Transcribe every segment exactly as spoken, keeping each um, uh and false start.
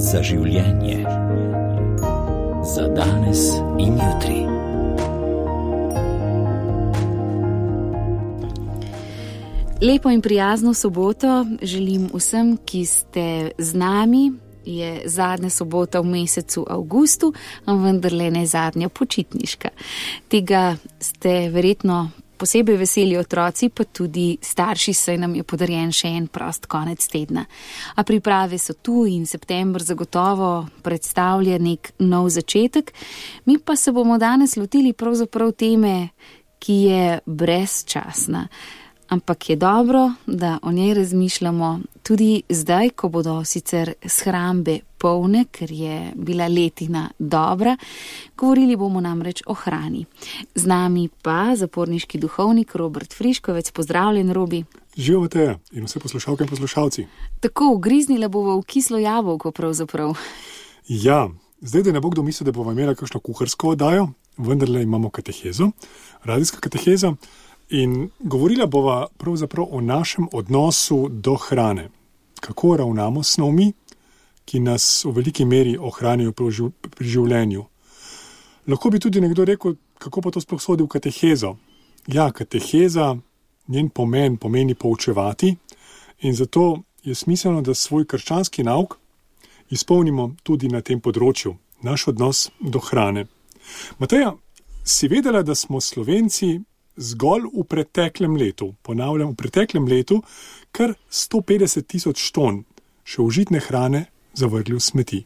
za življenje. Za danes in jutri. Lepo in prijazno soboto želim vsem, ki ste z nami. Je zadnja sobota v mesecu avgustu, a vendarle ne zadnja počitniška. Tega ste verjetno posebej veseli otroci, pa tudi starši, saj nam je podarjen še en prost konec tedna. A priprave so tu in september zagotovo predstavlja nek nov začetek. Mi pa se bomo danes lotili pravzaprav teme, ki je brezčasna. Ampak je dobro, da o njej razmišljamo tudi zdaj, ko bodo sicer shrambe polne, ker je bila letina dobra. Govorili bomo namreč o hrani. Z nami pa zaporniški duhovnik Robert Friškovec. Pozdravljen, Robi. Živijo Mateja in vse poslušalke in poslušalci. Tako, ugriznila bova v kislo jabolko pravzaprav. Ja, zdaj, da ne bo kdo mislil, da bova imela kakšno kuharsko oddajo, vendarle imamo katehezo, radijska kateheza. In govorila bova pravzaprav o našem odnosu do hrane. Kako ravnamo s snovmi, ki nas v veliki meri ohranijo pri življenju. Lahko bi tudi nekdo rekel, kako pa to sploh sodi v katehezo. Ja, kateheza, njen pomen pomeni poučevati in zato je smiselno, da svoj krščanski nauk izpolnimo tudi na tem področju, naš odnos do hrane. Mateja, si vedela, da smo Slovenci zgolj v preteklem letu, ponavljam, v preteklem letu, kar sto petdeset tisoč ton še užitne hrane zavrgli v smeti?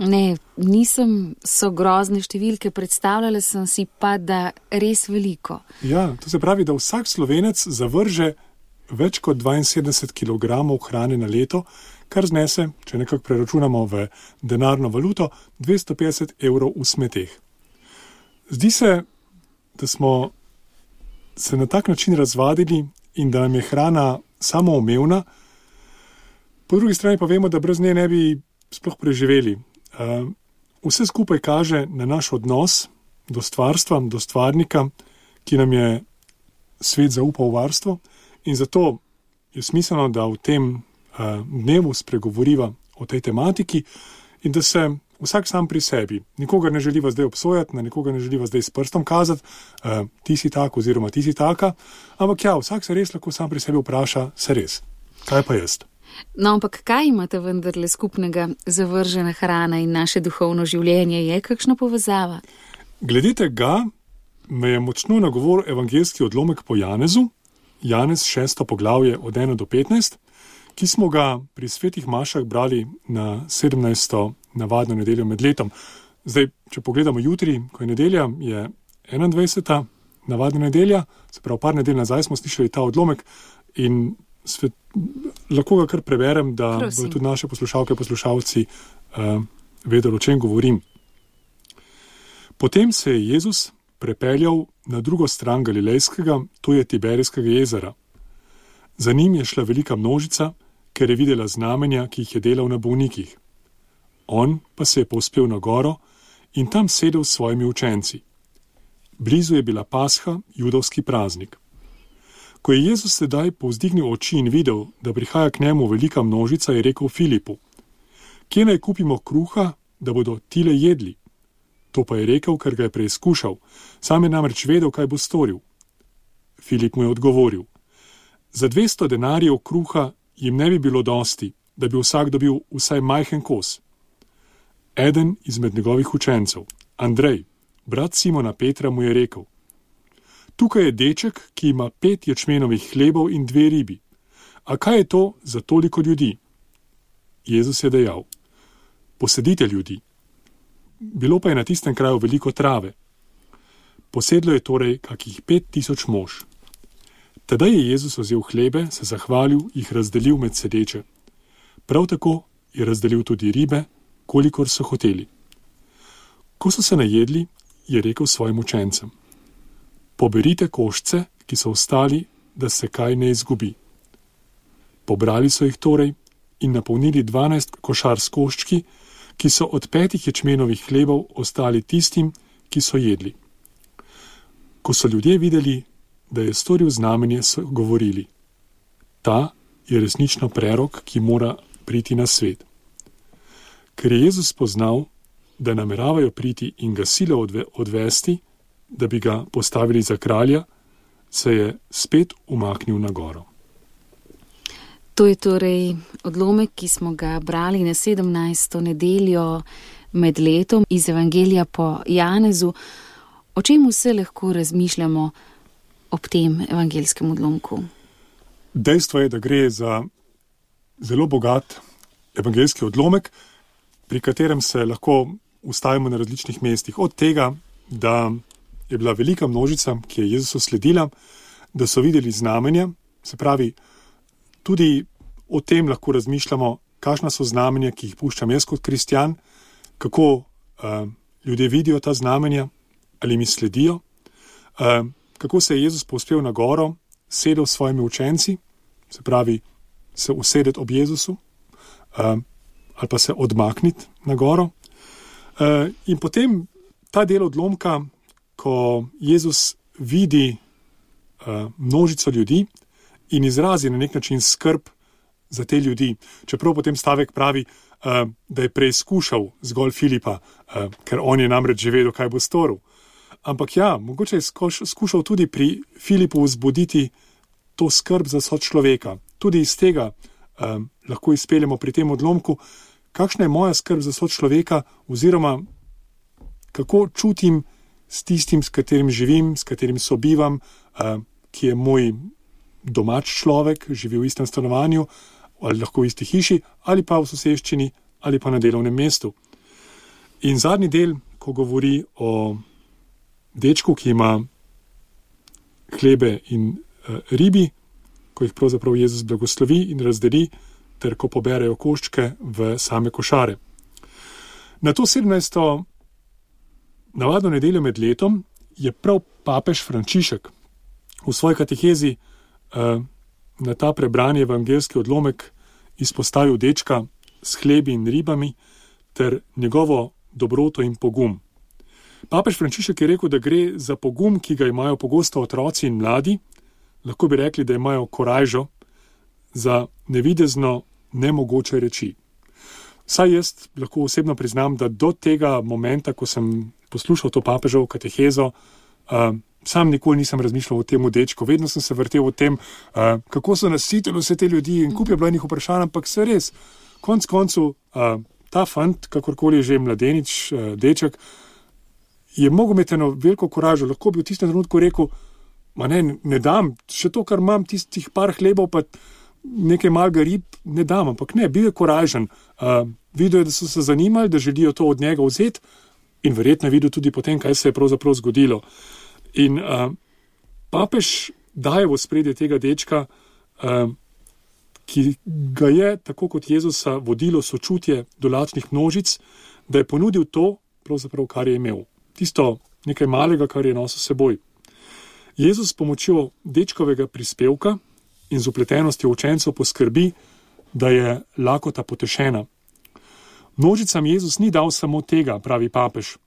Ne, nisem so grozne številke, predstavljala sem si pa, da res veliko. Ja, to se pravi, da vsak Slovenec zavrže več kot dvainsedemdeset kilogramov hrane na leto, kar znese, če nekako preračunamo v denarno valuto, dvesto petdeset evrov v smeteh. Zdi se, da smo se na tak način razvadili in da nam je hrana samoumevna. Po drugi strani pa vemo, da brez nje ne bi sploh preživeli. Vse skupaj kaže na naš odnos do stvarstva, do stvarnika, ki nam je svet zaupal v varstvo in zato je smiselno, da v tem dnevu spregovoriva o tej tematiki in da se vsak sam pri sebi. Nikogar ne želiva zdaj obsojati, na nikogar ne želiva zdaj s prstom kazati, uh, ti si tak oziroma ti si taka, ampak ja, vsak se res lahko sam pri sebi vpraša, se res, kaj pa jaz? No, ampak kaj imate vendarle skupnega zavržena hrana in naše duhovno življenje? Je kakšna povezava? Glede tega me je močno nagovoril evangeljski odlomek po Janezu, Janez šesto poglavje od ena do petnajst, ki smo ga pri svetih mašah brali na sedemnajsto navadno nedeljo med letom. Zdaj, če pogledamo jutri, ko je nedelja, je enaindvajseta navadna nedelja, se pravi par nedelj nazaj smo slišali ta odlomek in svet, lahko ga kar preberem, da bodo tudi naše poslušalke in poslušalci uh, vedeli, o čem govorim. Potem se je Jezus prepeljal na drugo stran Galilejskega, to je Tiberijskega jezera. Za njim je šla velika množica, ker je videla znamenja, ki jih je delal na bolnikih. On pa se je povzpel na goro in tam sedel s svojimi učenci. Blizu je bila Pasha, judovski praznik. Ko je Jezus sedaj povzdignil oči in videl, da prihaja k njemu velika množica, je rekel Filipu: Kje naj kupimo kruha, da bodo tile jedli? To pa je rekel, ker ga je preizkušal, sam je namreč vedel, kaj bo storil. Filip mu je odgovoril: Za dvesto denarjev kruha jim ne bi bilo dosti, da bi vsak dobil vsaj majhen kos. Eden izmed njegovih učencev, Andrej, brat Simona Petra, mu je rekel: Tukaj je deček, ki ima pet ječmenovih hlebov in dve ribi. A kaj je to za toliko ljudi? Jezus je dejal: Posedite ljudi. Bilo pa je na tistem kraju veliko trave. Posedlo je torej kakih pet tisoč mož. Tedaj je Jezus vzel hlebe, se zahvalil, jih razdelil med sedeče. Prav tako je razdelil tudi ribe, kolikor so hoteli. Ko so se najedli, je rekel svojim učencem: Poberite koščce, ki so ostali, da se kaj ne izgubi. Pobrali so jih torej in napolnili dvanajst košar s koščki, ki so od petih ječmenovih hlebov ostali tistim, ki so jedli. Ko so ljudje videli, da je storil znamenje, so govorili: Ta je resnično prerok, ki mora priti na svet. Ker je Jezus spoznal, da nameravajo priti in ga silo odve, odvesti, da bi ga postavili za kralja, se je spet umaknil na goro. To je torej odlomek, ki smo ga brali na sedemnajsto nedeljo med letom iz Evangelija po Janezu. O čem vse lahko razmišljamo ob tem evangelskem odlomku? Dejstvo je, da gre za zelo bogat evangeljski odlomek, pri katerem se lahko ustavimo na različnih mestih. Od tega, da je bila velika množica, ki je Jezusu sledila, da so videli znamenja, se pravi, tudi o tem lahko razmišljamo, kakšna so znamenja, ki jih puščam jaz kot kristjan, kako uh, ljudje vidijo ta znamenja, ali mi sledijo, uh, kako se je Jezus povzpel na goro, sedel s svojimi učenci, se pravi, se usedeti ob Jezusu, uh, ali pa se odmakniti na goro. Uh, in potem ta del odlomka, ko Jezus vidi uh, množico ljudi in izrazi na nek način skrb za te ljudi. Čeprav potem stavek pravi, uh, da je preizkušal zgolj Filipa, uh, ker on je namreč že vedel, kaj bo storil. Ampak ja, mogoče je skoš, skušal tudi pri Filipu vzbuditi to skrb za sočloveka. Tudi iz tega uh, lahko izpeljemo pri tem odlomku, kakšna je moja skrb za sočloveka oziroma kako čutim s tistim, s katerim živim, s katerim sobivam, uh, ki je moj domač človek, živi v istem stanovanju, ali lahko v isti hiši, ali pa v soseščini, ali pa na delovnem mestu. In zadnji del, ko govori o dečku, ki ima hlebe in uh, ribi, ko jih pravzaprav Jezus blagoslovi in razdeli, ter ko poberejo koščke v same košare. Na to sedemnajsto navadno nedeljo med letom je prav papež Frančišek v svoji katehezi uh, na ta prebrani evangeljski odlomek izpostavil dečka s hlebi in ribami ter njegovo dobroto in pogum. Papež Frančišek je rekel, da gre za pogum, ki ga imajo pogosto otroci in mladi, lahko bi rekli, da imajo korajžo za nevidezno nemogoče reči. Saj jaz lahko osebno priznam, da do tega momenta, ko sem poslušal to papeževo katehezo, uh, sam nikoli nisem razmišljal o tem dečku, vedno sem se vrtel o tem, uh, kako so nasitili vse te ljudi in kup je bilo enih vprašanj, ampak se res, konc koncu, uh, ta fant, kakorkoli je že mladenič, uh, deček, je mogel imeti eno veliko koražo, lahko bi v tistem trenutku rekel, ma ne, ne dam, še to, kar imam, tistih par hlebov, pa nekaj malega rib, ne dam, ampak ne, bil je koražen, uh, videl je, da so se zanimali, da želijo to od njega vzeti in verjetno je videl tudi potem, kaj se je pravzaprav zgodilo. In uh, papež daje v ospredje tega dečka, uh, ki ga je, tako kot Jezusa, vodilo sočutje do lačnih množic, da je ponudil to, pravzaprav, kar je imel. Tisto nekaj malega, kar je nosil seboj. Jezus s pomočjo dečkovega prispevka in z upletenostjo učencev poskrbi, da je lakota potešena. Množicam Jezus ni dal samo tega, pravi papež.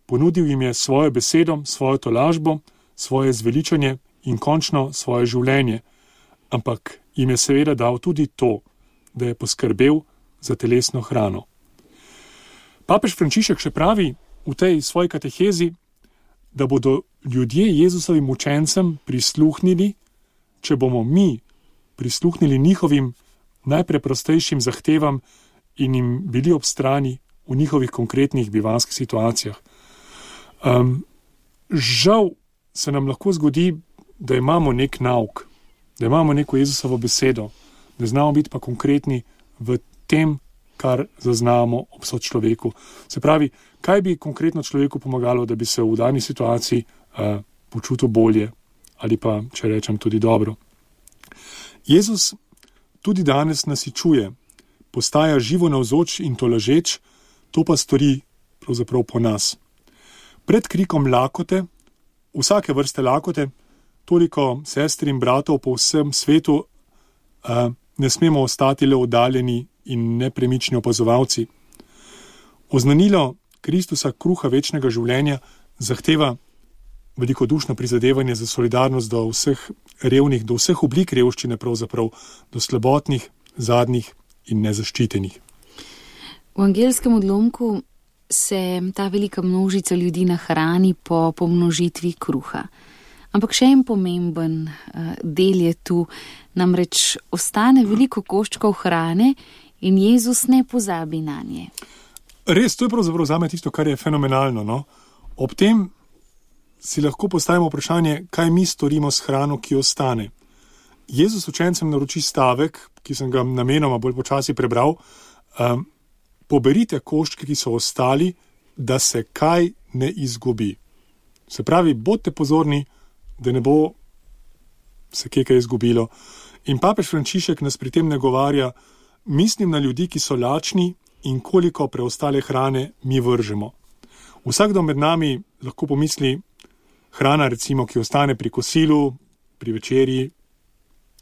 Ponudil jim je svojo besedo, svojo tolažbo, svoje zveličanje in končno svoje življenje. Ampak jim je seveda dal tudi to, da je poskrbel za telesno hrano. Papež Frančišek še pravi v tej svoji katehezi, da bodo ljudje Jezusovim učencem prisluhnili, če bomo mi prisluhnili njihovim najpreprostejšim zahtevam in jim bili ob strani v njihovih konkretnih bivanskih situacijah. Um, žal se nam lahko zgodi, da imamo nek nauk, da imamo neko Jezusovo besedo, da znamo biti pa konkretni v tem, kar zaznamo ob sočloveku. Se pravi, kaj bi konkretno človeku pomagalo, da bi se v dani situaciji uh, počutil bolje ali pa, če rečem, tudi dobro. Jezus tudi danes nasičuje, postaja živo navzoč in tolažeč, to pa stori pravzaprav po nas. Pred krikom lakote, vsake vrste lakote, toliko sestri in bratov po vsem svetu, uh, ne smemo ostati le oddaljeni in nepremični opazovalci. Oznanilo Kristusa kruha večnega življenja zahteva velikodušno prizadevanje za solidarnost do vseh revnih, do vseh oblik revščine pravzaprav, do slabotnih, zadnjih in nezaščitenih. V angelskem odlomku se ta velika množica ljudi nahrani po pomnožitvi kruha. Ampak še en pomemben uh, del je tu, namreč ostane veliko koščkov hrane in Jezus ne pozabi na nje. Res, to je pravzaprav zame tisto, kar je fenomenalno. No? Ob tem si lahko postavimo vprašanje, kaj mi storimo s hrano, ki ostane. Jezus učencem naroči stavek, ki sem ga namenoma bolj počasi prebral, um, poberite koščke, ki so ostali, da se kaj ne izgubi. Se pravi, bodite pozorni, da ne bo se kaj izgubilo. In papež Frančišek nas pri tem nagovarja, mislim na ljudi, ki so lačni in koliko preostale hrane mi vržemo. Vsakdo med nami lahko pomisli, hrana recimo, ki ostane pri kosilu, pri večerji,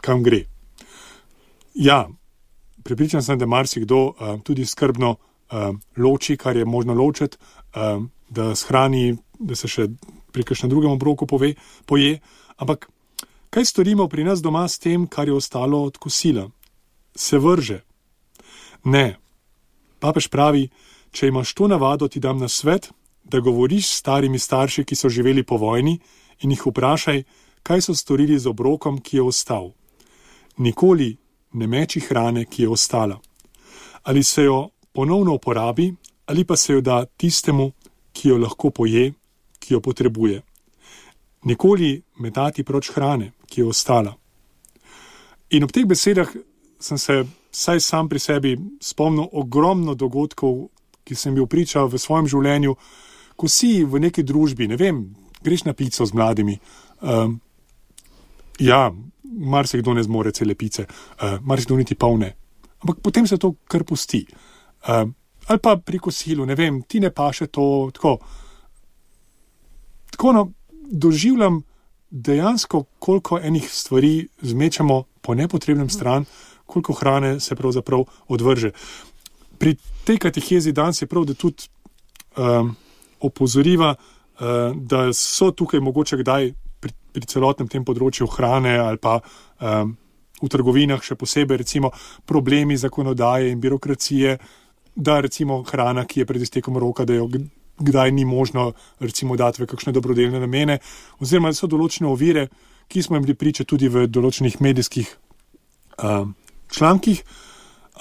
kam gre. Ja, prepričan sem, da marsikdo uh, tudi skrbno uh, loči, kar je možno ločiti, uh, da shrani, da se še pri kakšnem drugem obroku pove, poje. Ampak kaj storimo pri nas doma s tem, kar je ostalo od kosila? Se vrže? Ne. Papež pravi, če imaš to navado, ti dam na svet, da govoriš s starimi starši, ki so živeli po vojni, in jih vprašaj, kaj so storili z obrokom, ki je ostal. Nikoli ne meči hrane, ki je ostala. Ali se jo ponovno uporabi, ali pa se jo da tistemu, ki jo lahko poje, ki jo potrebuje. Nikoli metati proč hrane, ki je ostala. In ob teh besedah sem se saj sam pri sebi spomnil ogromno dogodkov, ki sem bil priča v svojem življenju, ko si v neki družbi, ne vem, greš na pico z mladimi. Um, ja, marsikdo ne zmore cele pice, uh, marsikdo niti polne. Ampak potem se to kar pusti. Um, ali pa pri kosilu, ne vem, ti ne paše to, tako. Tako no, doživljam dejansko, koliko enih stvari zmečamo po nepotrebnem stran, koliko hrane se pravzaprav odvrže. Pri tej katehezi danes je prav, da tudi um, opozoriva, uh, da so tukaj mogoče kdaj pri, pri celotnem tem področju hrane ali pa um, v trgovinah še posebej recimo problemi zakonodaje in birokracije, da recimo hrana, ki je pred iztekom roka, da jo kdaj ni možno recimo dati v kakšne dobrodelne namene, oziroma so določene ovire, ki smo jim bili priče tudi v določenih medijskih um, člankih,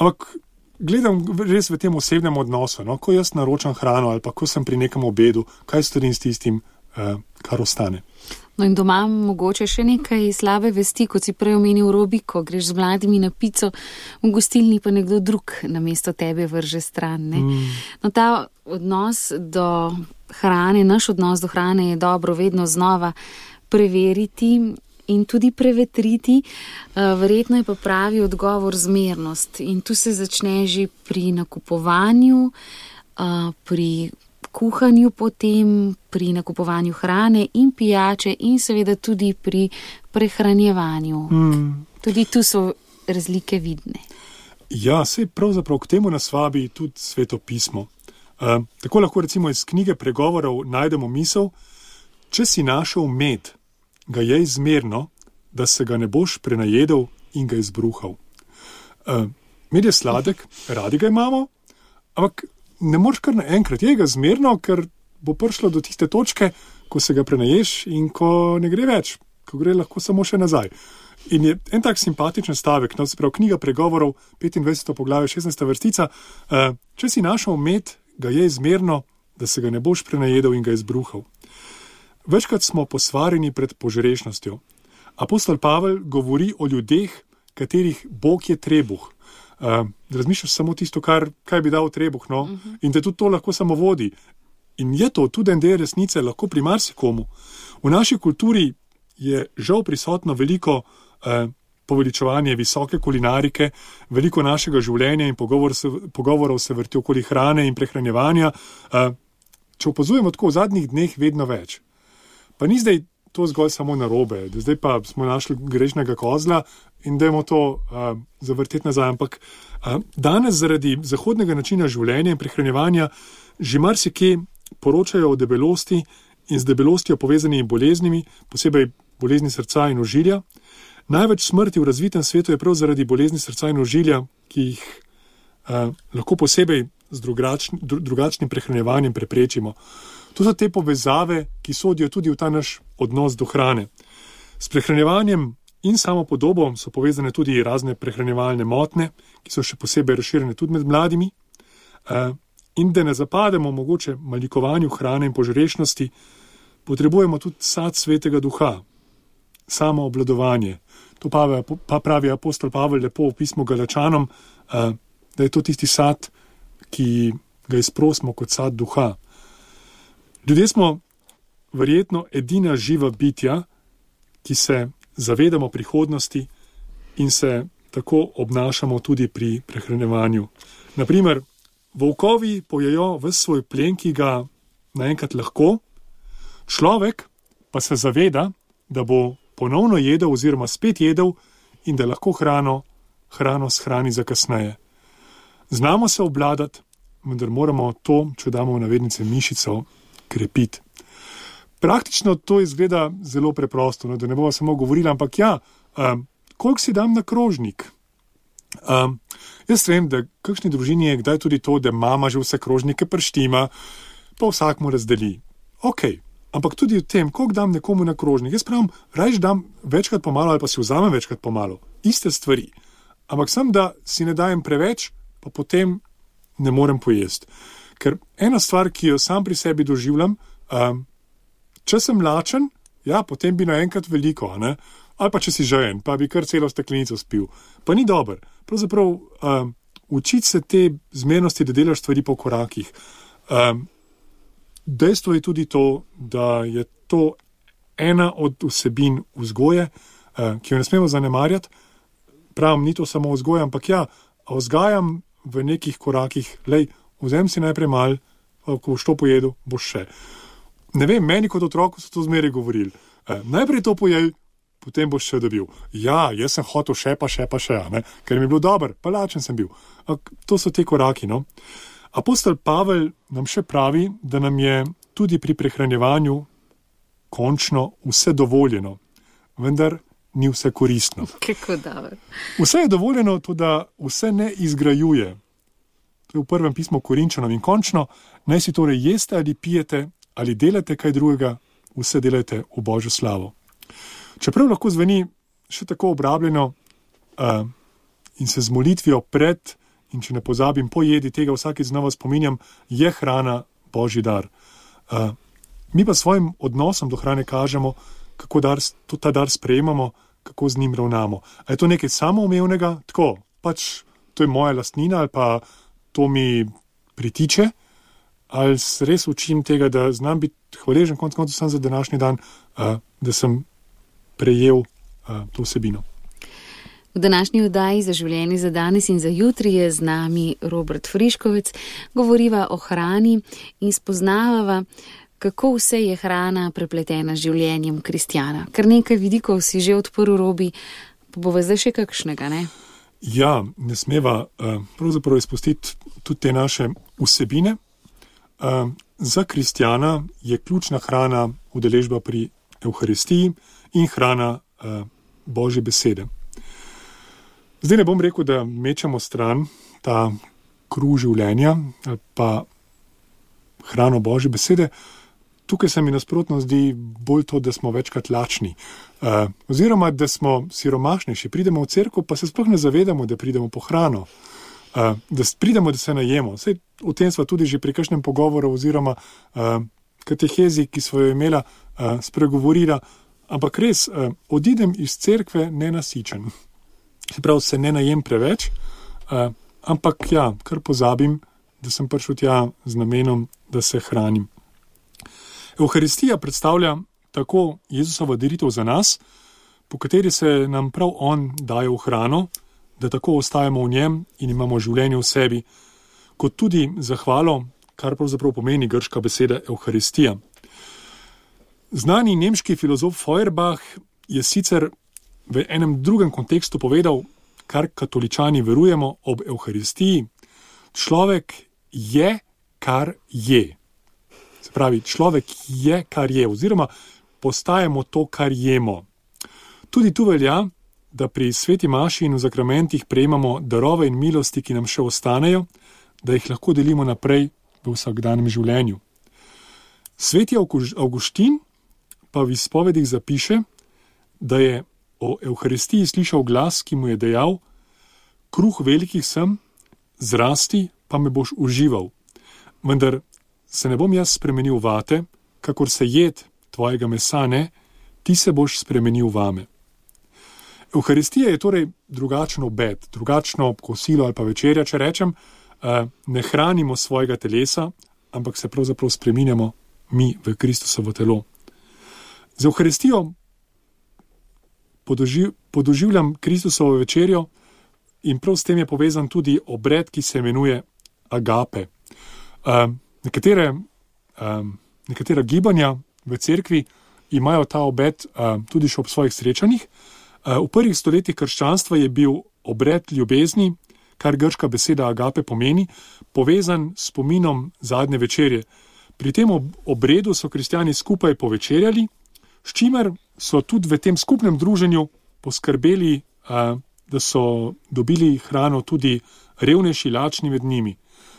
ampak gledam res v tem osebnem odnosu, no? Ko jaz naročam hrano ali pa ko sem pri nekem obedu, kaj storim s tistim, uh, kar ostane. No in doma mogoče še nekaj slabe vesti, kot si prej omenil Robi, ko greš z mladimi na pico, v gostilni pa nekdo drug namesto tebe vrže stran. Ne? Mm. No ta odnos do hrane, naš odnos do hrane je dobro vedno znova preveriti in tudi prevetriti. Verjetno je pa pravi odgovor zmernost in tu se začne že pri nakupovanju, pri kuhanju potem, pri nakupovanju hrane in pijače in seveda tudi pri prehranjevanju. Mm. Tudi tu so razlike vidne. Ja, sej pravzaprav k temu nas vabi tudi Sveto pismo. Uh, tako lahko recimo iz knjige Pregovorov najdemo misel, če si našel med, ga jej zmerno, da se ga ne boš prenajedel in ga izbruhal. Uh, med je sladek, radi ga imamo, ampak ne moreš kar naenkrat, je ga zmerno, ker bo prišlo do tiste točke, ko se ga prenaješ in ko ne gre več, ko gre lahko samo še nazaj. In je en tak simpatičen stavek, no, se pravi knjiga Pregovorov, petindvajseto poglavje, šestnajsta vrstica, uh, če si našel med, ga je zmerno, da se ga ne boš prenajedel in ga izbruhal. Večkrat smo posvarjeni pred požrešnostjo. Apostol Pavel govori o ljudeh, katerih Bog je trebuh. Uh, razmišljaš samo tisto, kar, kaj bi dal trebuh, no? Uh-huh. In te tudi to lahko samo vodi. In je to tudi en del resnice, lahko pri marsikomu. V naši kulturi je žal prisotno veliko uh, poveličevanje visoke kulinarike, veliko našega življenja in pogovor se, pogovorov se vrti okoli hrane in prehranjevanja. Uh, če opazujemo tako v zadnjih dneh vedno več. Pa ni zdaj to zgolj samo narobe, da zdaj pa smo našli grešnega kozla in dajmo to uh, zavrteti nazaj. Ampak uh, danes zaradi zahodnega načina življenja in prehranjevanja že marsikje poročajo o debelosti in z debelostjo povezanimi boleznimi, posebej bolezni srca in ožilja. Največ smrti v razvitem svetu je prav zaradi bolezni srca in ožilja, ki jih uh, lahko posebej z drugačn, drugačnim prehranjevanjem preprečimo. To so te povezave, ki sodijo tudi v ta naš odnos do hrane. S prehranjevanjem in samo podobo so povezane tudi razne prehranjevalne motnje, ki so še posebej razširjene tudi med mladimi. In da ne zapademo mogoče malikovanju hrane in požrešnosti, potrebujemo tudi sad svetega duha, samo obvladovanje. To pa, pa pravi apostol Pavel lepo v pismu Galačanom, da je to tisti sad, ki ga izprosimo kot sad duha. Ljudje smo verjetno edina živa bitja, ki se zavedamo prihodnosti in se tako obnašamo tudi pri prehranjevanju. Naprimer, volkovi pojejo ves svoj plen, ki ga naenkrat lahko, človek pa se zaveda, da bo ponovno jedel oziroma spet jedel in da lahko hrano, hrano shrani za kasneje. Znamo se obvladati, vendar moramo to, če damo v navednice mišico, krepiti. Praktično to izgleda zelo preprosto, no, da ne bomo samo govorili, ampak ja, um, koliko si dam na krožnik? Um, jaz vem, da kakšni družini je kdaj tudi to, da mama že vse krožnike prštima, pa vsak mu razdeli. Ok, ampak tudi v tem, koliko dam nekomu na krožnik. Jaz pravim, rajš dam večkrat pomalo ali pa si vzamem večkrat pomalo. Iste stvari. Ampak sem, da si ne dajem preveč, pa potem ne morem pojesti. Ker ena stvar, ki jo sam pri sebi doživljam, um, če sem lačen, ja, potem bi naenkrat veliko, ne? Ali pa če si žejen, pa bi kar celo steklenico spil. Pa ni dober. Pravzaprav um, učiti se te zmernosti, da delaš stvari po korakih. Um, dejstvo je tudi to, da je to ena od vsebin vzgoje, uh, ki jo ne smemo zanemarjati. Pravim, ni to samo vzgoja, ampak ja, vzgajam v nekih korakih, lej, vzem si najprej mal, ko boš to pojedel, boš še. Ne vem, meni kot otroku so to zmeraj govorili. E, najprej to pojej, potem boš še dobil. Ja, jaz sem hotel še pa še pa še, ne? Ker mi je bilo dober, pa lačen sem bil. A, to so te koraki, no. Apostol Pavel nam še pravi, da nam je tudi pri prehranjevanju končno vse dovoljeno, vendar ni vse koristno. Kako dobro. Vse je dovoljeno, to da vse ne izgrajuje. To je v prvem pismu Korinčanom in končno, naj si torej jeste ali pijete, ali delate kaj drugega, vse delajte v Božjo slavo. Čeprav lahko zveni še tako obrabljeno uh, in se z molitvijo pred, in če ne pozabim, po jedi tega vsakeč znova spominjam, je hrana Božji dar. Uh, mi pa svojim odnosom do hrane kažemo, kako dar, to, ta dar sprejemamo, kako z njim ravnamo. A je to nekaj samoumevnega? Tako, pač to je moja lastnina ali pa to mi pritiče? Ali se res učim tega, da znam biti hvaležen konec koncev sem za današnji dan, uh, da sem prejel uh, to vsebino. V današnji oddaji Za življenje za danes in za jutri je z nami Robert Friškovec. Govoriva o hrani in spoznavava, kako vse je hrana prepletena z življenjem kristjana. Kar nekaj vidikov si že odprl, Robi, pa bova zdaj še kakšnega, ne? Ja, ne smeva uh, pravzaprav izpustiti tudi te naše vsebine. Uh, za kristjana je ključna hrana udeležba pri Evharistiji in hrana uh, Božje besede. Zdaj ne bom rekel, da mečemo stran ta kruh življenja ali pa hrano Božje besede. Tukaj se mi nasprotno zdi bolj to, da smo večkrat lačni. Uh, oziroma, da smo siromašnejši. Pridemo v cerkev, pa se sploh ne zavedamo, da pridemo po hrano. Uh, da pridemo, da se najemo. Sej, o tem sva tudi že pri kakšnem pogovoru oziroma uh, katehezi, ki sva jo imela, uh, spregovorila, ampak res, uh, odidem iz cerkve nenasičen. Se pravi, se ne najem preveč, uh, ampak ja, kar pozabim, da sem prišel tja z namenom, da se hranim. Evharistija predstavlja tako Jezusova daritev za nas, po kateri se nam prav on daje v hrano, da tako ostajamo v njem in imamo življenje v sebi, kot tudi zahvalo, kar pravzaprav pomeni grška beseda Evharistija. Znani nemški filozof Feuerbach je sicer v enem drugem kontekstu povedal, kar katoličani verujemo ob Evharistiji, človek je, kar je. Se pravi, človek je, kar je, oziroma postajamo to, kar jemo. Tudi tu velja, da pri sveti maši in v zakramentih prejemamo darove in milosti, ki nam še ostanejo, da jih lahko delimo naprej v vsakdanjem življenju. Sveti Avguštin pa v izpovedih zapiše, da je o Evharistiji slišal glas, ki mu je dejal: kruh velikih sem, zrasti pa me boš užival, vendar se ne bom jaz spremenil vate, kakor se jed tvojega mesa ne, ti se boš spremenil vame. Evharistija je torej drugačen obed, drugačno kosilo ali pa večerja, če rečem, ne hranimo svojega telesa, ampak se pravzaprav spreminjamo mi v Kristusovo telo. Z Evharistijo podoživ, podoživljam Kristusovo večerjo in prav s tem je povezan tudi obred, ki se imenuje agape. Um, nekatere, um, nekatera gibanja v cerkvi imajo ta obred um, tudi še ob svojih srečanjih. Uh, v prvih stoletjih krščanstva je bil obred ljubezni, kar grška beseda agape pomeni, povezan s spominom zadnje večerje. Pri tem obredu so kristjani skupaj povečerjali, s čimer so tudi v tem skupnem druženju poskrbeli, da so dobili hrano tudi revnejši, lačni med njimi.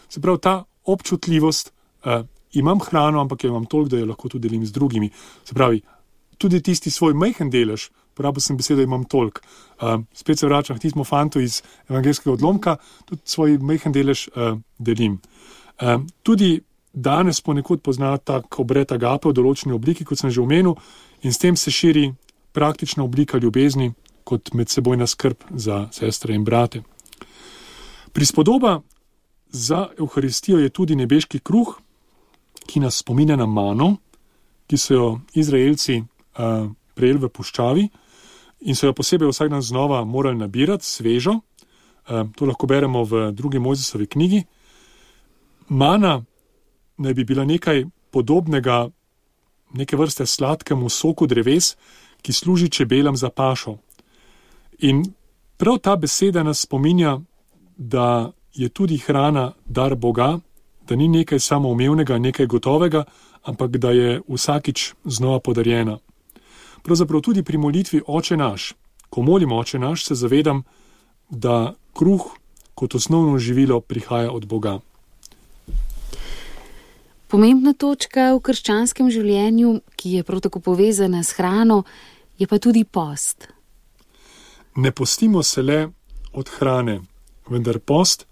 Se pravi, ta občutljivost, imam hrano, ampak jo imam toliko, da jo lahko tudi delim z drugimi. Se pravi, tudi tisti svoj majhen delež, porabil sem besedo, imam toliko. Spet se vračam k tistemu fantu iz evangelskega odlomka, tudi svoj majhen delež delim. Tudi danes ponekod pozna tak obred agape v določeni obliki, kot sem že omenil, in s tem se širi praktična oblika ljubezni kot medsebojna skrb za sestre in brate. Prispodoba za Evharistijo je tudi nebeški kruh, ki nas spominja na mano, ki so jo Izraelci uh, prejeli v puščavi in so jo posebej vsak dan znova morali nabirati, svežo. Uh, to lahko beremo v drugi Mojzesovi knjigi. Mana naj bi bila nekaj podobnega, neke vrste sladkemu soku dreves, ki služi čebelam za pašo. In prav ta beseda nas spominja, da je tudi hrana dar Boga, da ni nekaj samoumevnega, nekaj gotovega, ampak da je vsakič znova podarjena. Pravzaprav tudi pri molitvi Oče naš, ko molim Oče naš, se zavedam, da kruh kot osnovno živilo prihaja od Boga. Pomembna točka v krščanskem življenju, ki je prav tako povezana s hrano, je pa tudi post. Ne postimo se le od hrane, vendar post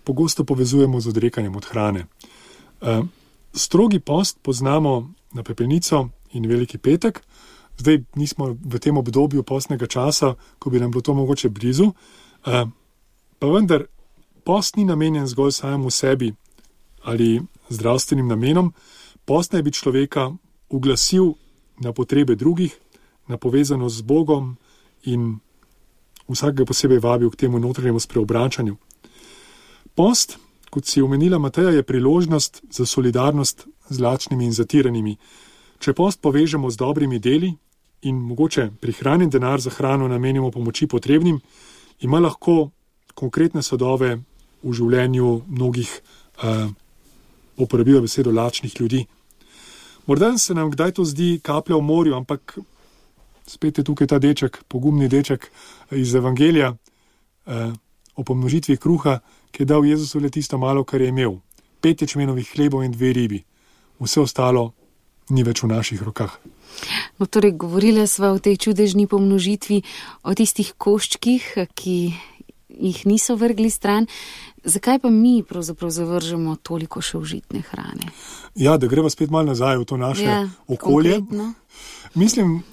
pogosto povezujemo z odrekanjem od hrane. Strogi post poznamo na pepelnico in Veliki petek. Zdaj nismo v tem obdobju postnega časa, ko bi nam bilo to mogoče blizu. Pa vendar, post ni namenjen zgolj samemu sebi ali zdravstvenim namenom. Post naj bi človeka uglasil na potrebe drugih, na povezanost z Bogom in vsakega posebej vabil k temu notranjemu spreobračanju. Post, kot si omenila Mateja, je priložnost za solidarnost z lačnimi in zatiranimi. Če post povežemo z dobrimi deli in mogoče prihranjen denar za hrano namenimo pomoči potrebnim, ima lahko konkretne sadove v življenju mnogih, uh, uporabijo besedo, lačnih ljudi. Morda se nam kdaj to zdi kaplja v morju, ampak spet je tukaj ta deček, pogumni deček iz Evangelija uh, o pomnožitvi kruha, ki je dal Jezusu le tisto malo, kar je imel. Pet ječmenovih hlebov in dve ribi. Vse ostalo ni več v naših rokah. No, torej, govorila sva o tej čudežni pomnožitvi, o tistih koščkih, ki jih niso vrgli stran. Zakaj pa mi pravzaprav zavržemo toliko še užitne hrane? Ja, da greva spet malo nazaj v to naše ja, okolje. Konkretno. Mislim,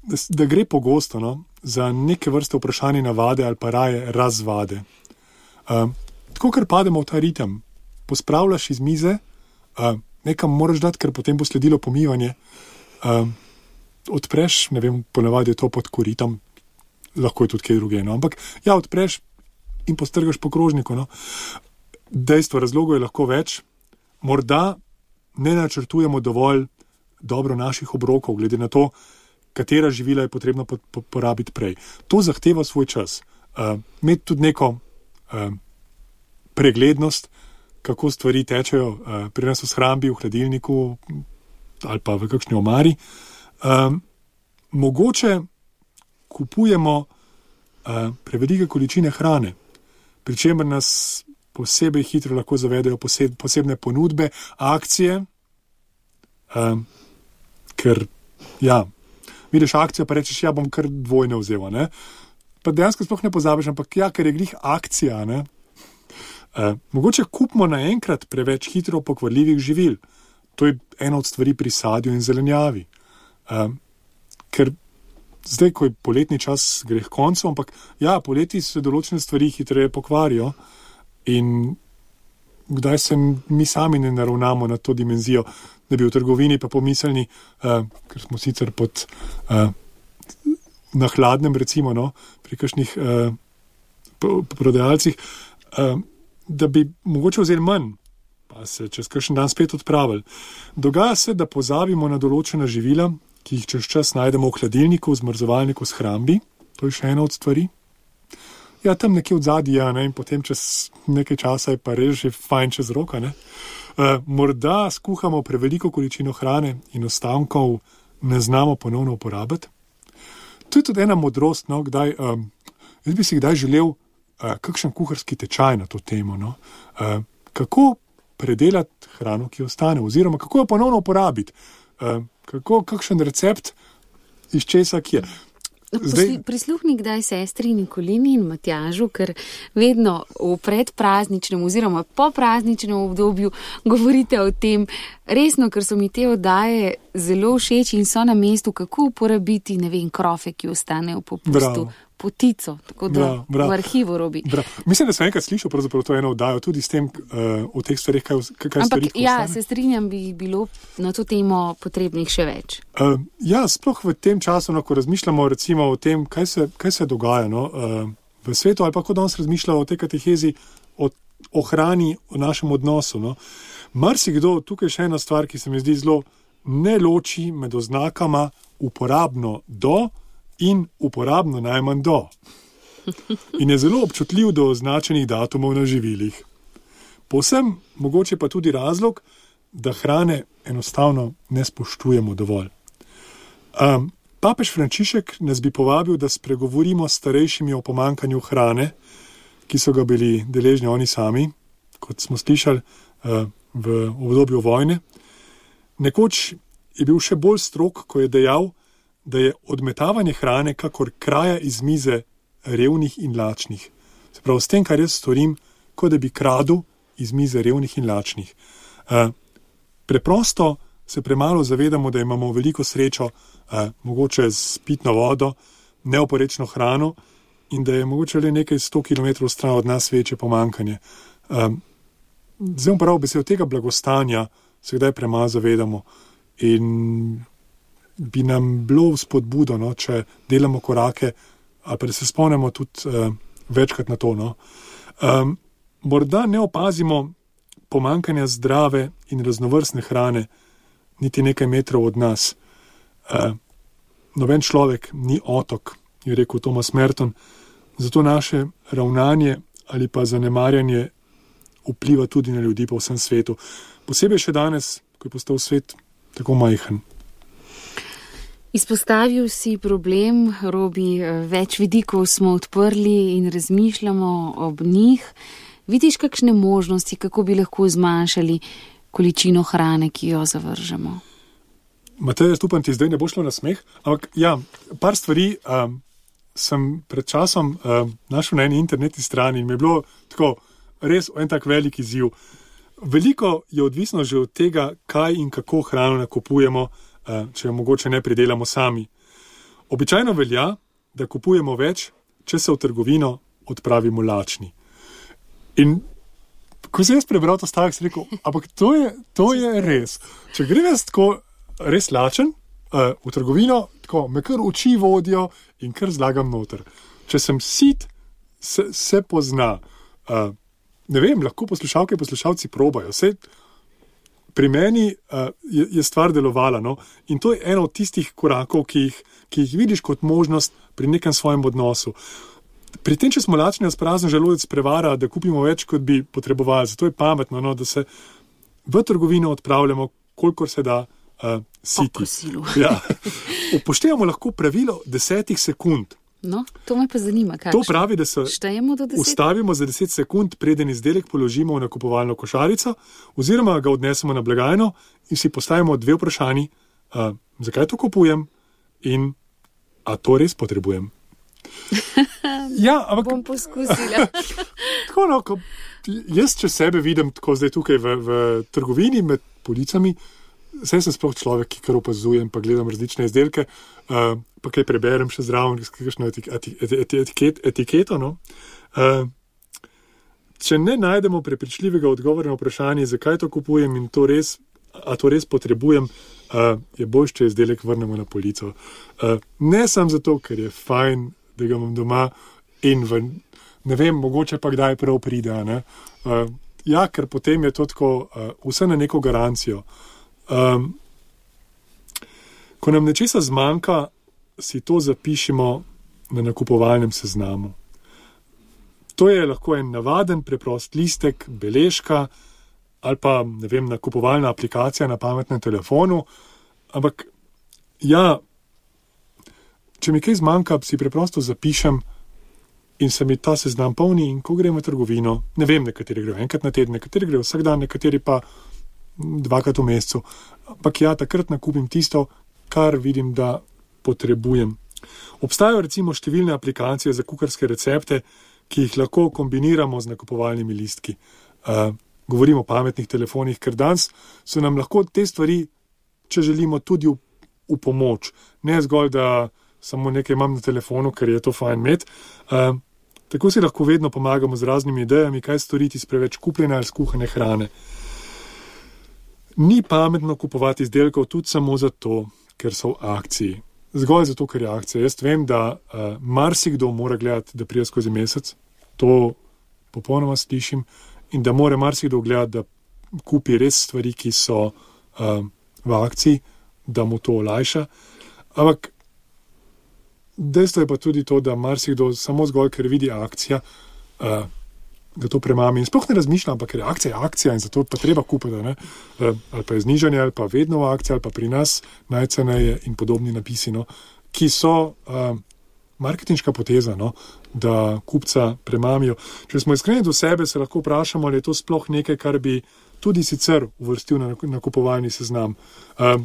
da, da gre pogosto no, za neke vrste vprašanje navade ali pa raje razvade. Uh, tako, ker pademo v ta ritem, pospravljaš iz mize, uh, nekam moraš dati, ker potem bo sledilo pomivanje, uh, odpreš, ne vem, ponavadi je to pod koritom, lahko je tudi kaj druge, no, ampak ja, odpreš in postrgaš po krožniku. No. Dejstvo, razlogov je lahko več, morda ne načrtujemo dovolj dobro naših obrokov, glede na to, katera živila je potrebno porabiti prej. To zahteva svoj čas. Uh, imeti tudi neko Uh, preglednost, kako stvari tečejo uh, pri nas v shrambi, v hladilniku ali pa v kakšni omari. Uh, mogoče kupujemo uh, prevelike količine hrane, pri čemer nas posebej hitro lahko zavedajo poseb, posebne ponudbe, akcije, um, ker, ja, vidiš akcijo, pa rečeš, ja, bom kar dvojne vzela, ne? Pa dejansko sploh ne pozabiš, ampak ja, ker je glih akcija, ne? Uh, mogoče kupimo naenkrat preveč hitro pokvarljivih živil. To je ena od stvari pri sadju in zelenjavi. Uh, ker zdaj, ko je poletni čas, gre k koncu, ampak ja, poleti se določene stvari hitreje pokvarijo in kdaj se mi sami ne naravnamo na to dimenzijo, da bi v trgovini pa pomislili, uh, ker smo sicer pod uh, na hladnem, recimo, no, pri kakšnih uh, prodajalcih, uh, da bi mogoče vzeli manj, pa se čez kakšen dan spet odpravili. Dogaja se, da pozabimo na določena živila, ki jih čez čas najdemo v hladilniku, v zmrzovalniku, v shrambi. To je še ena od stvari. Ja, tam nekje v zadnji, ja, ne, in potem čez nekaj časa je pa res že fajn čez roka, ne. Uh, morda skuhamo preveliko količino hrane in ostankov ne znamo ponovno uporabiti. To je tudi ena modrost, no, kdaj, um, jaz bi si kdaj želel uh, kakšen kuharski tečaj na to temo, no. Uh, kako predelati hrano, ki ostane, oziroma kako jo ponovno uporabiti. Uh, kako, kakšen recept iz česa, ki je. Zdaj... Prisluhni kdaj sestri Nikolini in Matjažu, ker vedno v predprazničnem oziroma po prazničnem obdobju govorite o tem, resno, ker so mi te oddaje zelo všeč in so na mestu, kako uporabiti, ne vem, krofe, ki ostanejo po pustu. Bravo. Potico, tako da bra, bra, v arhivu robi. Bra. Mislim, da sem enkrat slišal pravzaprav to eno oddajo, tudi s tem, uh, o teh stvarih, kaj, kaj Ampak, stvari, ja, ostane. Se strinjam, bi bilo na to temo potrebnih še več. Uh, ja, sploh v tem času, no, ko razmišljamo recimo o tem, kaj se, kaj se dogaja, no, uh, v svetu, ali pa ko danes razmišljamo o tej katehezi, o, o hrani, o našem odnosu, no. Marsikdo, tukaj še ena stvar, ki se mi zdi zelo ne loči med oznakama uporabno do in uporabno najmanj do. In je zelo občutljiv do označenih datumov na živilih. Povsem mogoče pa tudi razlog, da hrane enostavno ne spoštujemo dovolj. Um, papež Frančišek nas bi povabil, da spregovorimo s starejšimi o pomankanju hrane, ki so ga bili deležni oni sami, kot smo slišali uh, v obdobju vojne. Nekoč je bil še bolj strog, ko je dejal, da je odmetavanje hrane kakor kraja iz mize revnih in lačnih. Se pravi, s tem, kar jaz storim, kot da bi kradel iz mize revnih in lačnih. Uh, preprosto se premalo zavedamo, da imamo veliko srečo, uh, mogoče z pitno vodo, neoporečno hrano in da je mogoče le nekaj sto kilometrov stran od nas večje pomankanje. Uh, zdaj prav besedo tega blagostanja se kdaj premalo zavedamo in bi nam bilo spodbudo, no, če delamo korake, ali pa da se spomnimo tudi uh, večkrat na to. No. Um, morda ne opazimo pomankanja zdrave in raznovrstne hrane niti nekaj metrov od nas. Uh, noben človek ni otok, je rekel Thomas Merton, zato naše ravnanje ali pa zanemarjanje vpliva tudi na ljudi po vsem svetu. Posebej še danes, ko je postal svet tako majhen. Izpostavil si problem, Robi, več vidikov smo odprli in razmišljamo ob njih. Vidiš kakšne možnosti, kako bi lahko zmanjšali količino hrane, ki jo zavržemo? Matej, jaz upam, ti zdaj ne bo šlo na smeh, ampak ja, par stvari um, sem pred časom um, našel na eni internetni strani in mi je bilo tako res en tak velik izziv. Veliko je odvisno že od tega, kaj in kako hrano nakupujemo, če jo mogoče ne pridelamo sami. Običajno velja, da kupujemo več, če se v trgovino odpravimo lačni. In ko sem jaz prebral to stavek, sem rekel, ampak to je, to je res. Če grem jaz tako res lačen uh, v trgovino, tako me kar oči vodijo in kar zlagam noter. Če sem sit, se, se pozna. Uh, ne vem, lahko poslušalke in poslušalci probajo. Sej, pri meni uh, je, je stvar delovala, no? In to je eno od tistih korakov, ki jih, ki jih vidiš kot možnost pri nekem svojem odnosu. Pri tem, če smo lačni, nas prazen želodec prevara, da kupimo več, kot bi potrebovali. Zato je pametno, no, da se v trgovino odpravljamo, kolikor se da uh, siti. Ja. Upoštevamo lahko pravilo desetih sekund. No, to me pa zanima, kakšno. To pravi, da se ustavimo za deset sekund, preden izdelek položimo v nakupovalno košarico, oziroma ga odnesemo na blagajno in si postavimo dve vprašanji, uh, zakaj to kupujem in a to res potrebujem. Ja, ampak... Bom poskusila. Tako, no, ko jaz, če sebe vidim tako zdaj tukaj v, v trgovini med policami, saj sem sploh človek, ki kar opazujem, pa gledam različne izdelke, uh, pa kaj preberem še zraven, kakšno etik, etik, etiket, etiketo. No? Uh, če ne najdemo prepričljivega odgovora na vprašanje, zakaj to kupujem in to res, a to res potrebujem, uh, je bolj, če izdelek vrnemo na polico. Uh, ne samo zato, ker je fajn, da ga imam doma in v, ne vem, mogoče pa kdaj prav pride. Ne? Uh, ja, ker potem je to tako uh, vse na neko garancijo. Um, ko nam nečesa zmanjka, si to zapišemo na nakupovalnem seznamu. To je lahko en navaden, preprost listek, beležka ali pa, ne vem, nakupovalna aplikacija na pametnem telefonu, ampak ja, če mi kaj zmanjka, si preprosto zapišem in se mi ta seznam polni in ko grem v trgovino, ne vem, nekateri grejo enkrat na teden, nekateri grejo vsak dan, nekateri pa dvakrat v mesecu. Ampak ja, takrat nakupim tisto, kar vidim, da potrebujem. Obstajajo recimo številne aplikacije za kuharske recepte, ki jih lahko kombiniramo z nakupovalnimi listki. Uh, govorimo o pametnih telefonih, ker danes so nam lahko te stvari, če želimo, tudi v, v pomoč. Ne zgolj, da samo nekaj imam na telefonu, ker je to fajn imeti. Uh, tako si lahko vedno pomagamo z raznimi idejami, kaj storiti s preveč kupljene ali skuhane hrane. Ni pametno kupovati izdelkov tudi samo zato, ker so v akciji. Zgolj zato, ker je akcija. Jaz vem, da uh, marsikdo mora gledati, da prije skozi mesec. To popolnoma slišim. In da mora marsikdo gledati, da kupi res stvari, ki so uh, v akciji, da mu to olajša. Ampak dejstvo je pa tudi to, da marsikdo samo zgolj, ker vidi akcija, uh, da to premami. In sploh ne razmišlja, ampak ker je akcija, je akcija in zato pa treba kupiti. Ne? Ali pa je znižanje, ali pa vedno v akciji, ali pa pri nas najceneje in podobni napisi, no? Ki so uh, marketinška poteza, no? Da kupca premamijo. Če smo iskreni do sebe, se lahko vprašamo, ali je to sploh nekaj, kar bi tudi sicer uvrstil na nakupovalni seznam. Uh,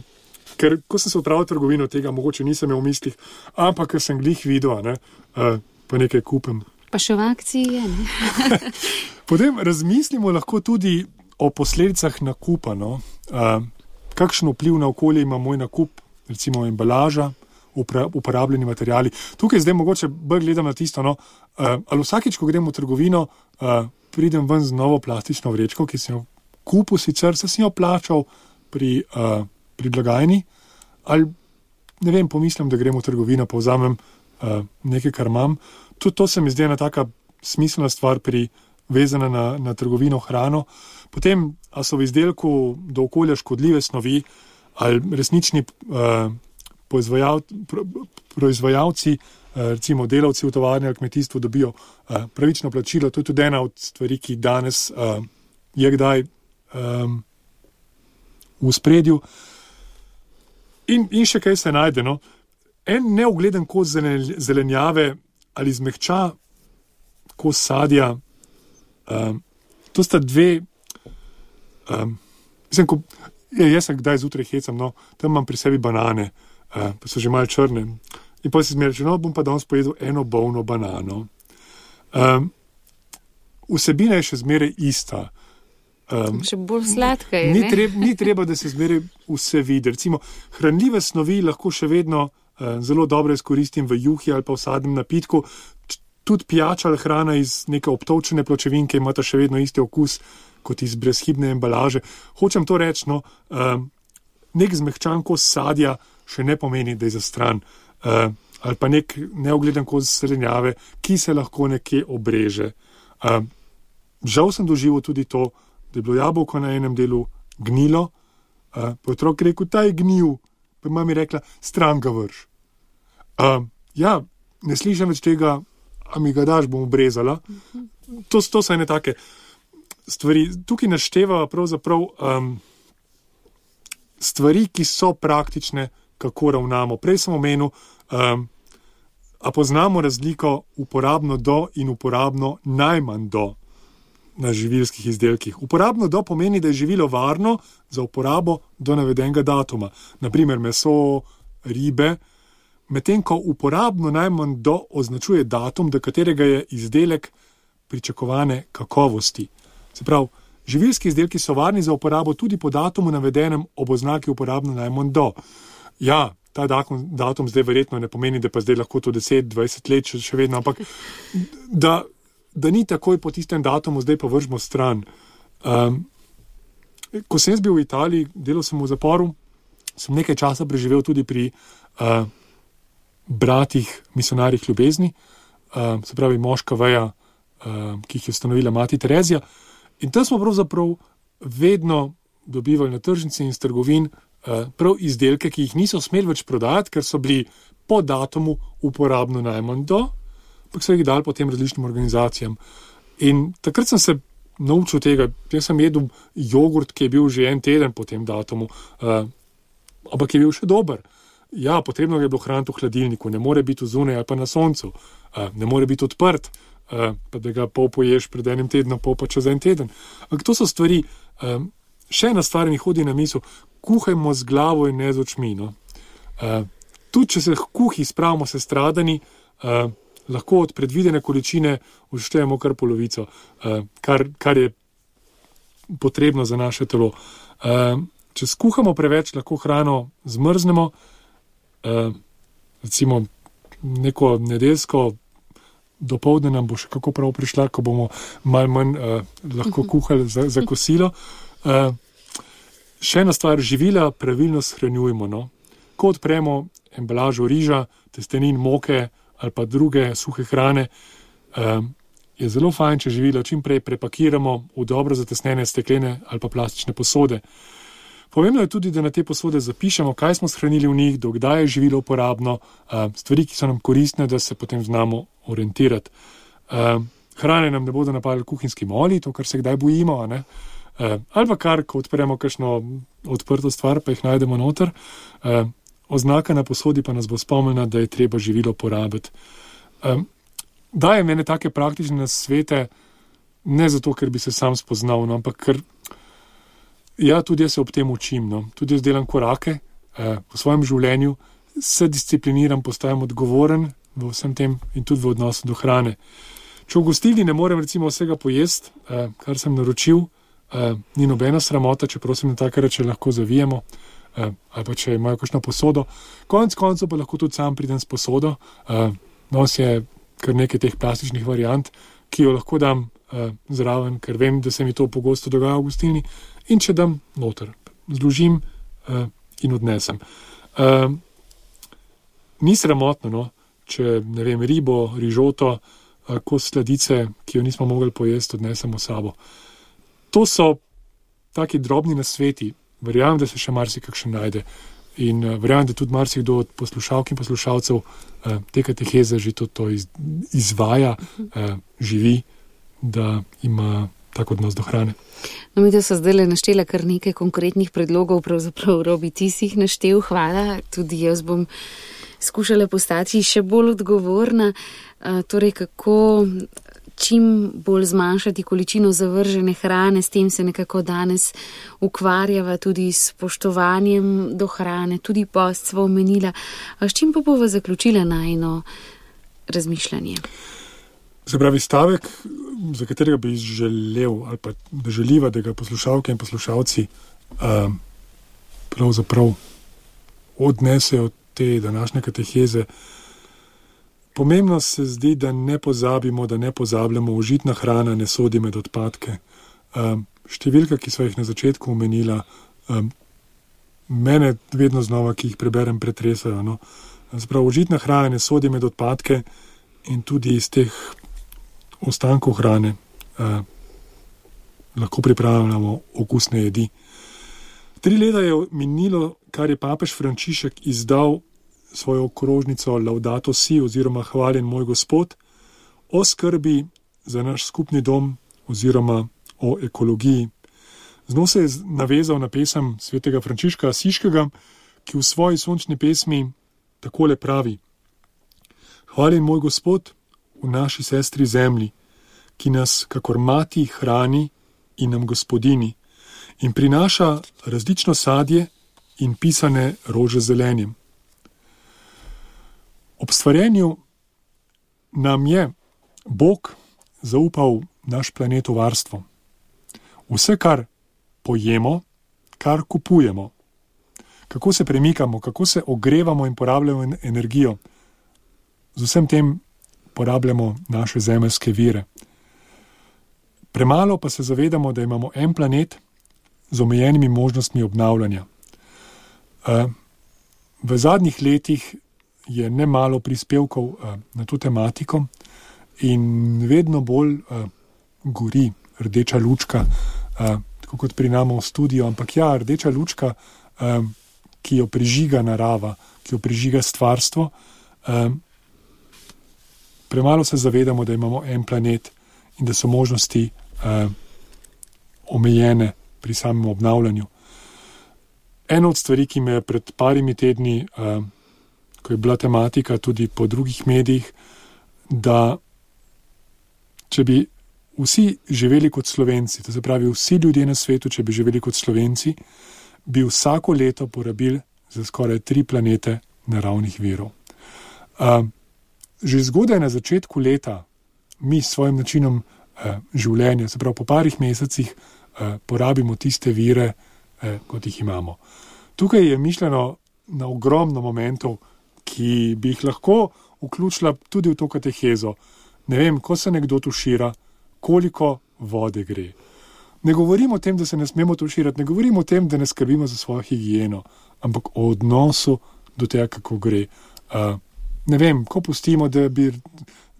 ker ko sem se odpravil v trgovino, tega mogoče nisem imel v mislih, ampak ker sem glih videl, ne? uh, pa nekaj kupim. Pa še v akciji je, ne? Potem razmislimo lahko tudi o posledicah nakupa. No? Uh, kakšen vpliv na okolje ima moj nakup, recimo embalaža, upra, uporabljeni materiali. Tukaj zdaj mogoče bolj gledam na tisto, no? uh, ali vsakič, ko grem v trgovino, uh, pridem ven z novo plastično vrečko, ki sem jo kupil sicer, se sem jo plačal pri, uh, pri blagajni, ali ne vem, pomislim, da grem v trgovino, pa vzamem uh, nekaj, kar imam. Tudi to se mi zdi ena taka smiselna stvar pri vezana na, na trgovino hrano. Potem, a so v izdelku do okolja škodljive snovi, ali resnični uh, proizvajalci, pro, proizvajalci uh, recimo delavci v tovarni ali kmetijstvu dobijo uh, pravično plačilo. To je tudi ena od stvari, ki danes uh, je kdaj um, v spredju. In, in še kaj se najde, no? En neugleden kos zelenjave ali zmehča kos sadja, um, to sta dve, um, mislim, ko, je, jaz sem kdaj zjutraj hecam, no, tam imam pri sebi banane, uh, pa so že malo črne, in potem si zmeril, no, bom pa danes pojedel eno bolno banano. Um, vsebina je še zmeraj ista. Um, še bolj sladka je, ni ne? Treba, ni treba, da se zmeraj vse vidi. Recimo, hranljive snovi lahko še vedno zelo dobro izkoristim v juhi ali pa v sadnem napitku. Tudi pijača ali hrana iz neke obtovčene pločevinke imata še vedno isti okus kot iz brezhibne embalaže. Hočem to reči, no, um, nek zmehčan kos sadja še ne pomeni, da je zastran. Uh, ali pa nek neugleden kos zelenjave, ki se lahko nekje obreže. Uh, žal sem doživel tudi to, da je bilo jabolko na enem delu gnilo, uh, pa otrok rekel, ta je gnil, pa mami rekla, stran ga vrš. Uh, ja, ne slišam več tega, a mi ga daš, bom obrezala. To, to so ene take stvari. Tukaj našteva pravzaprav um, stvari, ki so praktične, kako ravnamo. Prej sem omenil, um, A poznamo razliko uporabno do in uporabno najmanj do na živilskih izdelkih? Uporabno do pomeni, da je živilo varno za uporabo do navedenega datuma. Naprimer meso, ribe, medtem ko uporabno najmanj do označuje datum, do katerega je izdelek pričakovane kakovosti. Se pravi, živilski izdelki so varni za uporabo tudi po datumu navedenem ob oznaki uporabno najmanj do. Ja, ta datum, datum zdaj verjetno ne pomeni, da pa zdaj lahko to deset, dvajset let še, še vedno, ampak da, da ni takoj po tistem datumu, zdaj pa vržemo stran. Um, ko sem jaz bil v Italiji, delal sem v zaporu, sem nekaj časa preživel tudi pri uh, bratih misionarjih ljubezni, uh, se pravi moška veja, uh, ki jih je ustanovila mati Terezija. In tam smo pravzaprav vedno dobivali na tržnici in s trgovin uh, prav izdelke, ki jih niso smeli več prodajati, ker so bili po datumu uporabno najmanj do, ampak so jih dali potem različnim organizacijam. In takrat sem se naučil tega. Jaz sem jedel jogurt, ki je bil že en teden po tem datumu, uh, ampak je bil še dober. Ja, potrebno je bilo hraniti v hladilniku, ne more biti zunaj ali pa na soncu, uh, ne more biti odprt, uh, pa da ga pol poješ pred enim tednom, pol pa čez en teden. Ampak to so stvari, um, še ena stvar mi hodi na misel, kuhajmo z glavo in ne z očmi. No? Uh, tudi, če se kuhi spravimo se stradani, uh, lahko od predvidene količine uštejemo kar polovico, uh, kar, kar je potrebno za naše telo. Uh, če skuhamo preveč, lahko hrano zmrznemo, uh, recimo neko nedeljsko dopoldne nam bo še kako prav prišla, ko bomo malo manj uh, lahko kuhali za, za kosilo. Uh, še ena stvar, živila pravilno shranjujemo. No? Ko odpremo embalažo riža, testenin, moke ali pa druge suhe hrane, uh, je zelo fajn, če živila čim prej prepakiramo v dobro zatesnene steklene ali pa plastične posode. Pomembno je tudi, da na te posode zapišemo, kaj smo shranili v njih, do kdaj je živilo uporabno, uh, stvari, ki so nam koristne, da se potem znamo orientirati. Uh, hrane nam ne bodo napadali kuhinjski moli, to, kar se kdaj bojimo, a ne? Uh, ali pa kar, ko odpremo kakšno odprto stvar, pa jih najdemo noter. Uh, oznaka na posodi pa nas bo spomnila, da je treba živilo porabiti. Um, daje mene take praktične nasvete, ne zato, ker bi se sam spoznal, no, ampak ker ja, tudi jaz se ob tem učim. No. Tudi jaz delam korake uh, v svojem življenju, se discipliniram, postajam odgovoren v vsem tem in tudi v odnosu do hrane. Če v gostilni ne morem recimo vsega pojesti, uh, kar sem naročil, uh, ni nobena sramota, če prosim na take reče lahko zavijemo, Uh, ali pa če imajo kakšno posodo. Konec koncev pa lahko tudi sam pridem s posodo. Uh, nos je kar nekaj teh plastičnih variant, ki jo lahko dam uh, zraven, ker vem, da se mi to pogosto dogaja v gostilni. In če dam noter, zložim uh, in odnesem. Uh, ni sramotno, no, če ne vem, ribo, rižoto, uh, kos sladice, ki jo nismo mogli pojesti, odnesemo sabo. To so taki drobni nasveti. Verjamem, da se še marsikakšen najde in uh, verjamem, da tudi marsikdo od poslušalk in poslušalcev uh, te kateheze že to, to iz, izvaja, uh, živi, da ima tak odnos do hrane. No, mi da so zdaj le naštela kar nekaj konkretnih predlogov, pravzaprav Robi, ti si jih naštel, hvala, tudi jaz bom skušala postati še bolj odgovorna, uh, torej kako čim bolj zmanjšati količino zavržene hrane, s tem se nekako danes ukvarjava tudi s spoštovanjem do hrane, tudi post sva omenila. A s čim pa bova zaključila najino razmišljanje? Se pravi, stavek, za katerega bi želel ali pa da želiva, da ga poslušalke in poslušalci uh, pravzaprav odnesejo te današnje kateheze. Pomembno se zdi, da ne pozabimo, da ne pozabljamo, užitna hrana ne sodi med odpadke. Um, številka, ki so jih na začetku omenila, um, mene vedno znova, ki jih preberem, pretresajo. No? Sprav, užitna hrana ne sodi med odpadke in tudi iz teh ostankov hrane uh, lahko pripravljamo okusne jedi. Tri leta je minilo, kar je papež Frančišek izdal svojo okrožnico Laudato Si oziroma Hvaljen moj Gospod o skrbi za naš skupni dom oziroma o ekologiji. Z njo se je navezal na pesem svetega Frančiška Asiškega, ki v svoji sončni pesmi takole pravi: Hvaljen moj Gospod v naši sestri zemlji, ki nas kakor mati hrani in nam gospodini in prinaša različno sadje in pisane rože z zelenjem. Ob stvarjenju nam je Bog zaupal naš planet v varstvo. Vse, kar pojemo, kar kupujemo, kako se premikamo, kako se ogrevamo in porabljamo energijo, z vsem tem porabljamo naše zemeljske vire. Premalo pa se zavedamo, da imamo en planet z omejenimi možnostmi obnavljanja. V zadnjih letih je nemalo prispevkov na to tematiko in vedno bolj gori rdeča lučka, tako kot pri nama v studiu, ampak ja, rdeča lučka, ki jo prižiga narava, ki jo prižiga stvarstvo. Premalo se zavedamo, da imamo en planet in da so možnosti omejene pri samem obnavljanju. Ena od stvari, ki me je pred parimi tedni, ko je bila tematika tudi po drugih medijih, da če bi vsi živeli kot Slovenci, to se pravi vsi ljudje na svetu, če bi živeli kot Slovenci, bi vsako leto porabili za skoraj tri planete naravnih virov. Že zgodaj na začetku leta mi s svojim načinom življenja, se pravi po parih mesecih, porabimo tiste vire, kot jih imamo. Tukaj je mišljeno na ogromno momentov, ki bi jih lahko vključila tudi v to katehezo. Ne vem, ko se nekdo tušira, koliko vode gre. Ne govorimo o tem, da se ne smemo tuširati, ne govorimo o tem, da ne skrbimo za svojo higieno, ampak o odnosu do tega, kako gre. Uh, ne vem, ko pustimo, da, bi,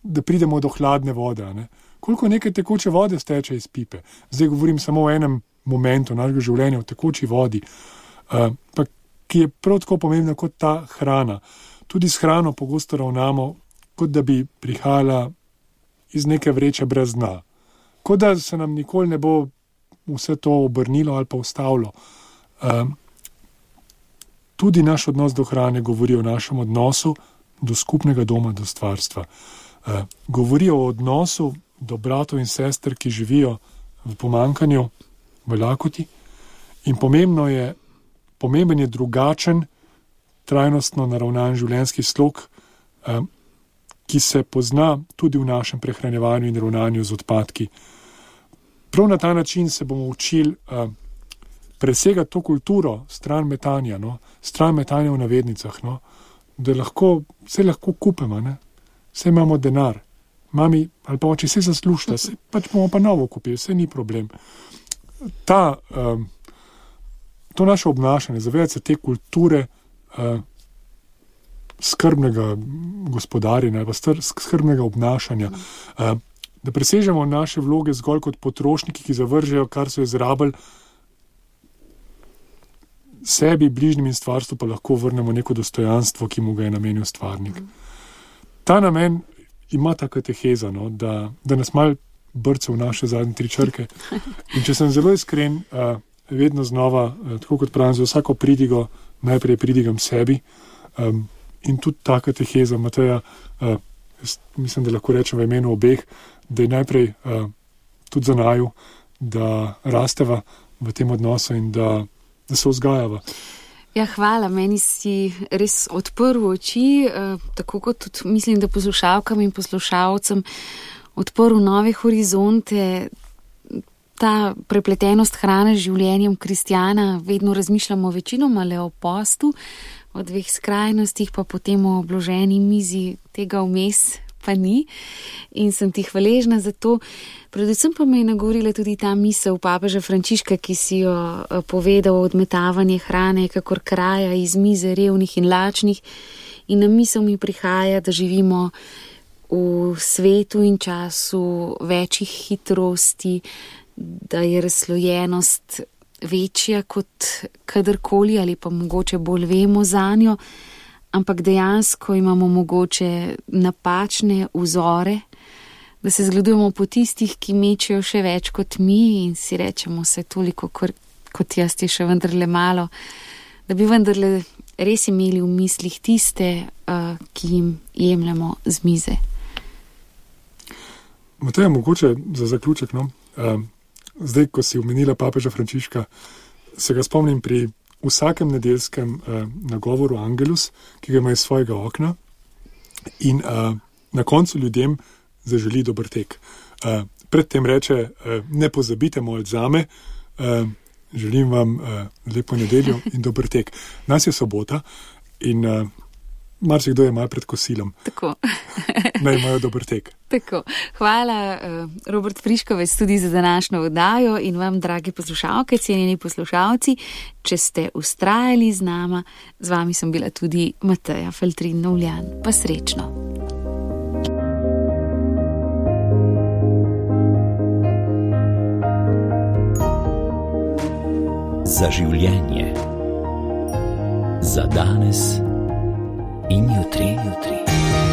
da pridemo do hladne vode, ne? Koliko nekaj tekoče vode steče iz pipe. Zdaj govorim samo o enem momentu našega življenja, o tekoči vodi, uh, pa, ki je prav tako pomembna kot ta hrana. Tudi s hrano pogosto ravnamo, kot da bi prihajala iz neke vreče brez dna. Kot da se nam nikoli ne bo vse to obrnilo ali pa ustavilo. Uh, tudi naš odnos do hrane govori o našem odnosu do skupnega doma, do stvarstva. Uh, govori o odnosu do bratov in sester, ki živijo v pomanjkanju, v lakoti. In pomembno je, pomemben je drugačen, trajnostno naravnan življenjski slog, uh, ki se pozna tudi v našem prehranjevanju in ravnanju z odpadki. Prav na ta način se bomo učili uh, presegati to kulturo stran metanja, no? Stran metanja v navednicah, no? Da lahko, vse lahko kupimo, ne? Vse imamo denar, mami ali pa oče, vse zaslužite, vse pač bomo pa novo kupili, vse ni problem. Ta, um, to naše obnašanje, zavedati se te kulture uh, skrbnega gospodarjenja ali pa skrbnega obnašanja, uh, da presežemo naše vloge zgolj kot potrošniki, ki zavržejo, kar so izrabili, sebi, bližnjim in stvarstvu pa lahko vrnemo neko dostojanstvo, ki mu ga je namenil stvarnik. Ta namen ima ta kateheza, no, da, da nas mal brce v naše zadnje tri črke. In če sem zelo iskren, uh, vedno znova, uh, tako kot pravim, za vsako pridigo najprej pridigam sebi. Um, in tudi ta kateheza Mateja, uh, mislim, da lahko rečem v imenu obeh, da je najprej uh, tudi za naju, da rasteva v tem odnosu in da, da se vzgajava. Ja, hvala, meni si res odprl oči, eh, tako kot tudi mislim, da poslušalkam in poslušalcem odprl nove horizonte. Ta prepletenost hrane z življenjem kristjana, vedno razmišljamo večinoma le o postu, o dveh skrajnostih, pa potem o obloženi mizi, tega vmes pa ni. In sem ti hvaležna za to. Predvsem pa me je nagovorila tudi ta misel papeža Frančiška, ki si jo povedal, odmetavanje hrane, kakor kraja iz mize revnih in lačnih. In na misel mi prihaja, da živimo v svetu in času večjih hitrosti, da je razslojenost večja kot kadarkoli ali pa mogoče bolj vemo zanjo, ampak dejansko imamo mogoče napačne vzore, da se zgledujemo po tistih, ki mečejo še več kot mi in si rečemo se toliko, kot jaz je še vendarle malo, da bi vendarle res imeli v mislih tiste, uh, ki jim jemljemo z mize. Mateja, mogoče za zaključek, no? uh, zdaj, ko si omenila papeža Frančiška, se ga spomnim pri vsakem nedeljskem uh, nagovoru Angelus, ki ga ima iz svojega okna in uh, na koncu ljudem zaželi dober tek. Uh, predtem reče, uh, ne pozabite moliti zame, uh, želim vam uh, lepo nedeljo in dober tek. Nas je sobota in uh, marsikdo je malo pred kosilom. Tako. Naj imajo dober tek. Tako. Hvala, uh, Robert Friškovec, tudi za današnjo oddajo in vam, dragi poslušalke, cenjeni poslušalci, če ste ustrajali z nama, z vami sem bila tudi Mateja Feltrin-Novljan. Pa srečno. Za življenje. Za danes in jutri, jutri.